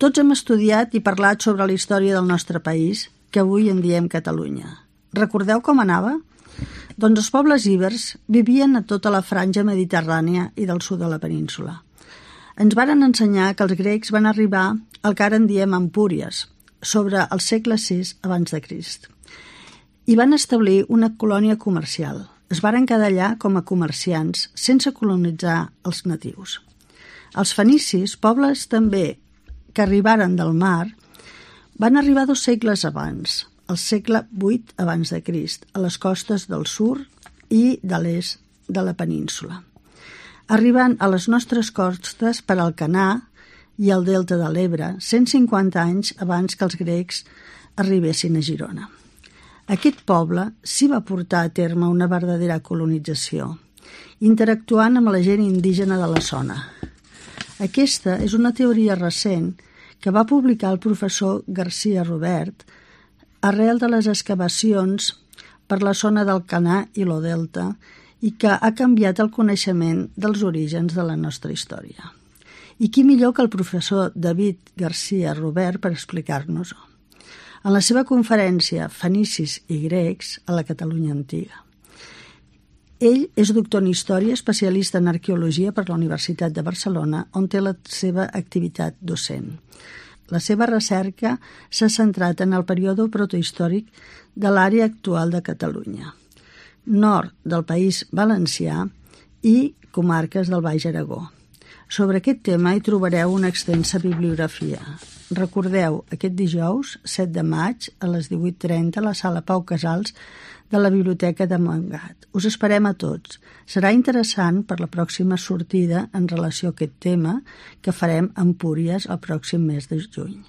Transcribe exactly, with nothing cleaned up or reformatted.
Tots hem estudiat i parlat sobre la història del nostre país, que avui en diem Catalunya. Recordeu com anava? Doncs els pobles ibers vivien a tota la franja mediterrània i del sud de la península. Ens varen ensenyar que els grecs van arribar al que ara en diem Empúries, sobre el segle sis abans de Crist, i van establir una colònia comercial. Es varen quedar allà com a comerciants sense colonitzar els natius. Els fenicis, pobles també que arribaren del mar, van arribar dos segles abans, al segle vuit abans de Crist, a les costes del sud i de l'est de la península, arribant a les nostres costes per Alcanar i el delta de l'Ebre, cent cinquanta anys abans que els grecs arribessin a Girona. Aquest poble s'hi va portar a terme una verdadera colonització, interactuant amb la gent indígena de la zona. Aquesta és una teoria recent que va publicar el professor Garcia Robert arrel de les excavacions per la zona d'Alcanar i lo delta i que ha canviat el coneixement dels orígens de la nostra història. I qui millor que el professor David Garcia Robert per explicar-nos-ho. En la seva conferència Fenicis i grecs a la Catalunya antiga. Ell és doctor en Història, especialista en Arqueologia per la Universitat de Barcelona, on té la seva activitat docent. La seva recerca s'ha centrat en el període protohistòric de l'àrea actual de Catalunya, nord del País Valencià i comarques del Baix Aragó. Sobre aquest tema hi trobareu una extensa bibliografia. Recordeu, aquest dijous, set de maig, a les divuit trenta, a la sala Pau Casals de la Biblioteca de Montgat. Us esperem a tots. Serà interessant per la pròxima sortida en relació a aquest tema que farem a Empúries el pròxim mes de juny.